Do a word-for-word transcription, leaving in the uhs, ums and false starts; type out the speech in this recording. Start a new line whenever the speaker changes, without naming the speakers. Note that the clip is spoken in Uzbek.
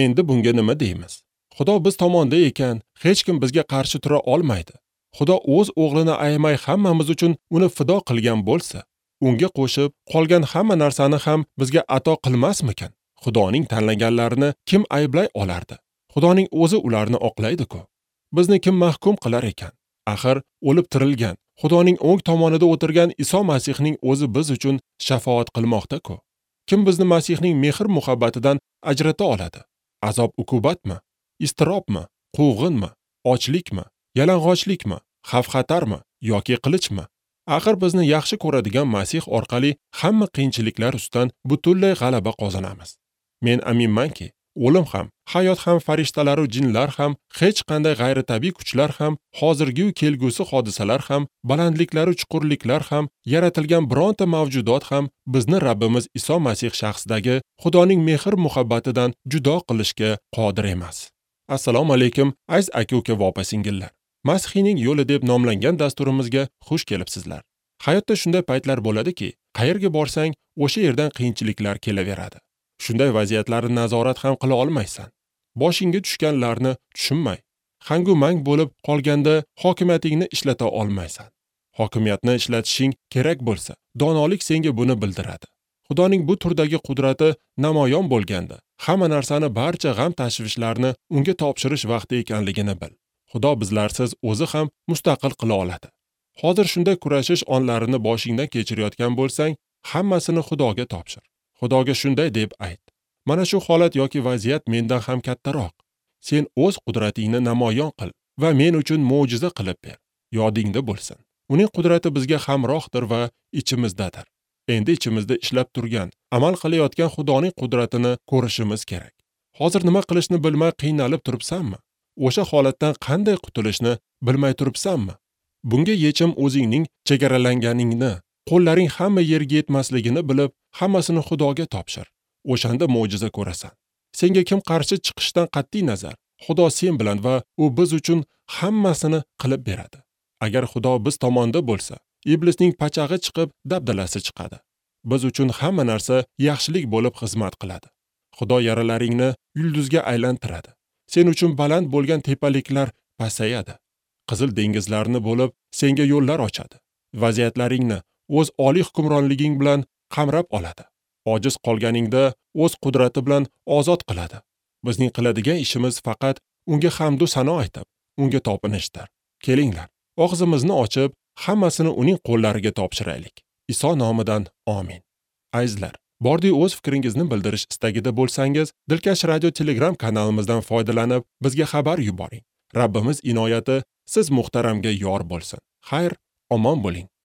Endi bunga nima deymiz? Xudo biz tomonda ekan, hech kim bizga qarshi tura olmaydi. Xudo o'z o'g'lini ayamay hammamiz uchun uni fido qilgan bo'lsa, unga qo'shib qolgan hamma narsani ham bizga ato qilmasmikan? Xudoning tanlaganlarini kim ayblay olardi? Xudoning o'zi ularni oqlaydi-ku. Bizni kim mahkum qilar ekan? Axir o'lib tirilgan, Xudoning o'ng tomonida o'tirgan Iso Masihning o'zi biz uchun shafoat qilmoqda-ku. Kim bizni Masihning mehr-muhabbatidan ajrata oladi? Azob uqubatmi? Iztirobmi? Quvg'inmi? Ochlikmi? Yalang'ochlikmi? Xavf-xatarmi yoki qilichmi? Axir bizni yaxshi ko'radigan Masih orqali hamma qiyinchiliklar ustidan butunlay g'alaba qozonamiz. Men aminmanki, o'lim ham, hayot ham, farishtalar va jinlar ham, hech qanday g'ayritabiiy kuchlar ham, hozirgi va kelgusi hodisalar ham, balandliklar va chuqurliklar ham, yaratilgan bironta mavjudot ham bizni Rabbimiz Iso Masih shaxsidagi Xudoning mehr-muhabbatidan judo qilishga qodir emas. Assalomu alaykum, aziz aka-uka va opa-singillar. Masihning yo'li deb nomlangan dasturimizga xush kelibsizlar. Hayotda shunday paytlar bo'ladiki, qayerga borsang, o'sha yerdan qiyinchiliklar kelaveradi. Shunday vaziyatlarni nazorat ham qila olmaysan. Boshingga tushganlarni tushunmay, hangu mang bo'lib qolganda hokimiyatingni ishlata olmaysan. Hokimiyatni ishlatishing kerak bo'lsa, donolik senga buni bildiradi. Xudoning bu turdagi qudrati namoyon bo'lganda, hamma narsani, barcha g'am tashvishlarni unga topshirish vaqti ekanligini bil. Xudo bizlarsiz o'zi ham mustaqil qila oladi. Hozir shunday kurashish onlarini boshingdan kechirayotgan bo'lsang, hammasini Xudoga topshir. Xudoga shunday deb ayt: mana shu holat yoki vaziyat mendan ham kattaroq. Sen o'z qudratingni namoyon qil va men uchun mo'jiza qilib ber. Yodingda bo'lsin. Uning qudrati bizga hamrohdir va ichimizdadir. Endi ichimizda ishlab turgan, amal qilayotgan Xudoning qudratini ko'rishimiz kerak. Hozir nima qilishni bilmay qiynalib turibsanmi? O'sha holatdan qanday qutulishni bilmay turibsanmi? Bunga yechim o'zingning chegaralanganingni, qo'llaring hamma yerga yetmasligini bilib, hammasini Xudoga topshir. O'shanda mo'jiza ko'rasan. Senga kim qarshi chiqishdan qat'iy nazar, Xudo sen bilan va u biz uchun hammasini qilib beradi. Agar Xudo biz tomonda bo'lsa, iblisning pachag'i chiqib, dabdalasi chiqadi. Biz uchun hamma narsa yaxshilik bo'lib xizmat qiladi. Xudo yaralaringni yulduzga aylantiradi. Sen uchun baland bo'lgan tepaliklar pasayadi. Qizil dengizlarni bo'lib, senga yo'llar ochadi. Vaziyatlaringni o'z oliy hukmronliging bilan qamrab oladi. Ojiz qolganingda o'z qudrati bilan ozod qiladi. Bizning qiladigan ishimiz faqat unga hamd va sano aytib, unga topinishdir. Kelinglar, og'zimizni ochib, hammasini uning qo'llariga topshiraylik. Iso nomidan amin. Azizlar, bordi o'z fikringizni bildirish istagida bo'lsangiz, Dilkash Radio Telegram kanalimizdan foydalanib, bizga xabar yuboring. Rabbimiz inoyati siz muhtaramga yor bo'lsin. Xayr, omon bo'ling.